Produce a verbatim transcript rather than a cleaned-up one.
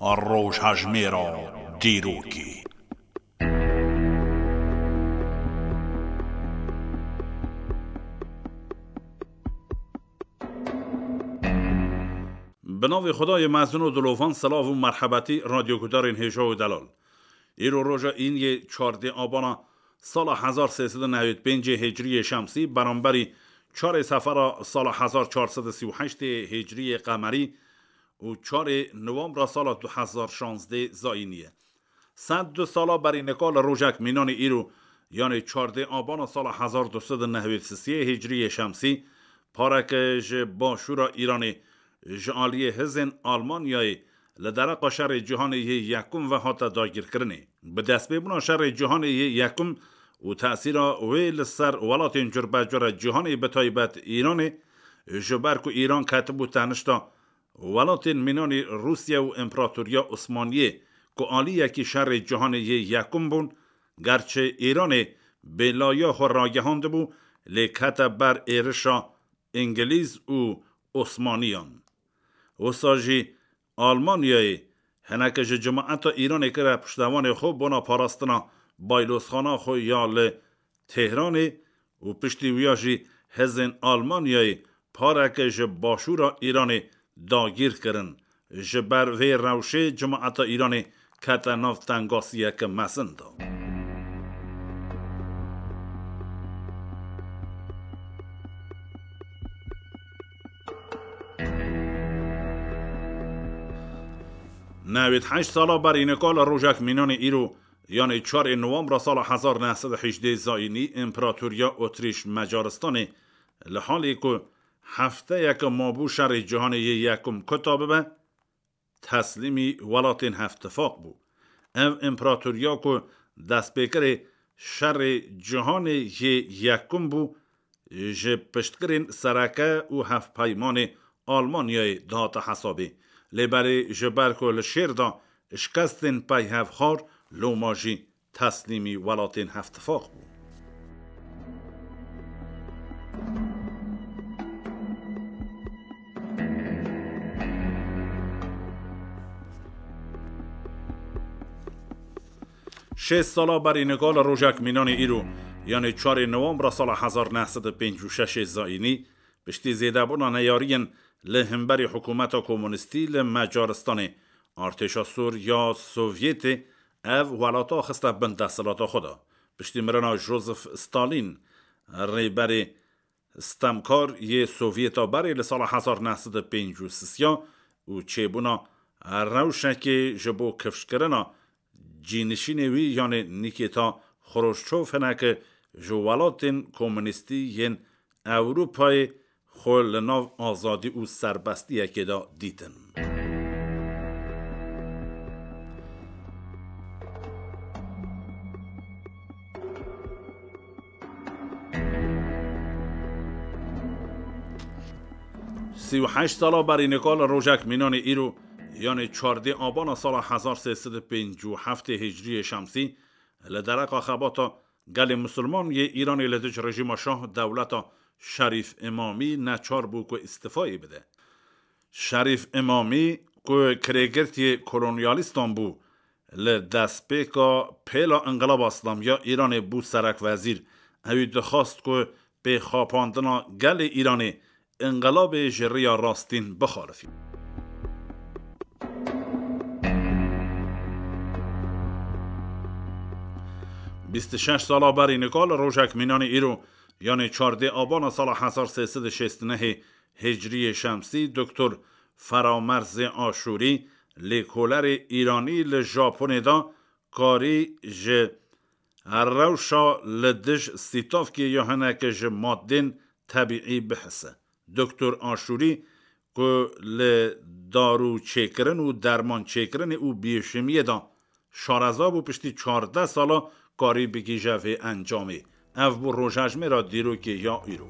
Rojhejmêra dîrokê. Bi navê Xwedayê mezin û dilovan, silav û merhebetî radyogudarên hêja û delal. Îro roja îniyê çardê abana sala hezar sê sed û newêd pêncê hicriyê şemsî, beramberî çarê sefera sala hezar çar sed û sî û heştê hicriyê qemerî û çarê nowembra sala du hezar şazdê zayînî ye. Sed du sala berî nika li rojek mînanê îro, yanê çardê abana sala hezar du sed û newêd sisiyê hicriyê şemsî, pareke ji başûra Îranê ji aliyê hizên Almanyayê li dereqa şerê cîhanê yê yekum ve hate dagirkirinê. Bi destpêbûna şerê cîhanê yê yekum û tesîra wê li ser welatên curbecure cîhanê, bi taybet Îranê, ji ber ku Îran ketibû tenişta welatên mînanî Rûsya û Împeratoriya Osmaniyê ku aliyekî şerê cîhanê yê yekum bûn, gerçi Îranê bêlayiya xwe ragihandibû, lê kete ber êrişa Îngilîz û Osmaniyan. Wisa jî Almanyayê hineke ji cimaeta Îranê kire piştevanê xwe bona parastina baylozxana xwe ya li Tehranê û piştî wiya jî hizên Almanyayê pareke ji başûra Îranê dagîr kirin. Ji ber vê rewşê cimaeta Îranê kete nav tengasiyeke mezin de. Newêd heşt sala berî nika li rojek mînanê îro, yanê çarê nowembra sala hezar neh sed û hejdê zayînî, Împeratoriya Otrîş Macaristanê li halê ku hefteyeke mabû şerê cîhanê yê yekum kuta bibe, teslîmî welatên Hevtifaq bû. Ev împeratoriya ku destpêkerê şerê cîhanê yê yekum bû, ji piştgirên sereke û hevpeymanê Almanyayê dihate hesabê. Lê belê ji ber ku li şêr de şikestên peyhevxwar, loma jî teslîmî welatên Hevtifaq bû. Şêst sala berî nika li rojek mînanê îro, yanê çarê nowembra sala hezar neh sed û pêncî û şeş zayînî, piştî zêdebûna neyariyên li hemberî hikûmeta komunîstî li Macaristanê, artêşa sor ya Sovyetê ev welata xiste bin desthilata xwe de. Piştî mirina Joseph Stalin, rêberê stemkar yê Sovyeta berê li sala hezar neh sed û pêncî û sisiya û çêbûna rewşekê ji bo kifşkirina cînişînê wî, yanê Nîkêta Xroşçov, hineke ji welatên komunîstî yên Ewropayê xwe li nav azadî û serbestiyekê de dîtin. Sî û heşt sala berî nika li rojek mînanê îro, yanê çardê abana sala hezar sê sed û pêncî û heftê hicriyê şemsî, li dereqa xebata gelê misilman yê Îranê li dij rejîma şah dewleta Şerîf Îmamî neçar bû ku îstifayê bide. Şerîf Îmamî ku kirêgirtiyê kolonyalîstan bû, li destpêka pêla Înqilaba Îslamî ya Îranê bû serekwezîr. Ewî dixwast ku pêxapandina gelê Îranê înqilabê ji rêya rastîn bixalifî. Bîst û şeş sala berî nika li rojek mînanê îro, yanê çardê abana sala hezar sê sed û şêst û nehê hicriyê şemsî, Doktor Feramerzê Aşûrî, lêkolerê Îranî li Japonê de, karî ji rewşa li dij sîtavkê ya hineke ji madên tebîî bihise. Doktor Aşûrî ku li darû çêkirin û derman çêkirinê û biyêşimiyê de şareza bû, piştî çardeh sala karî bigihîje vê encamê. Ev bû rojhejmêra dîrokê ya îro.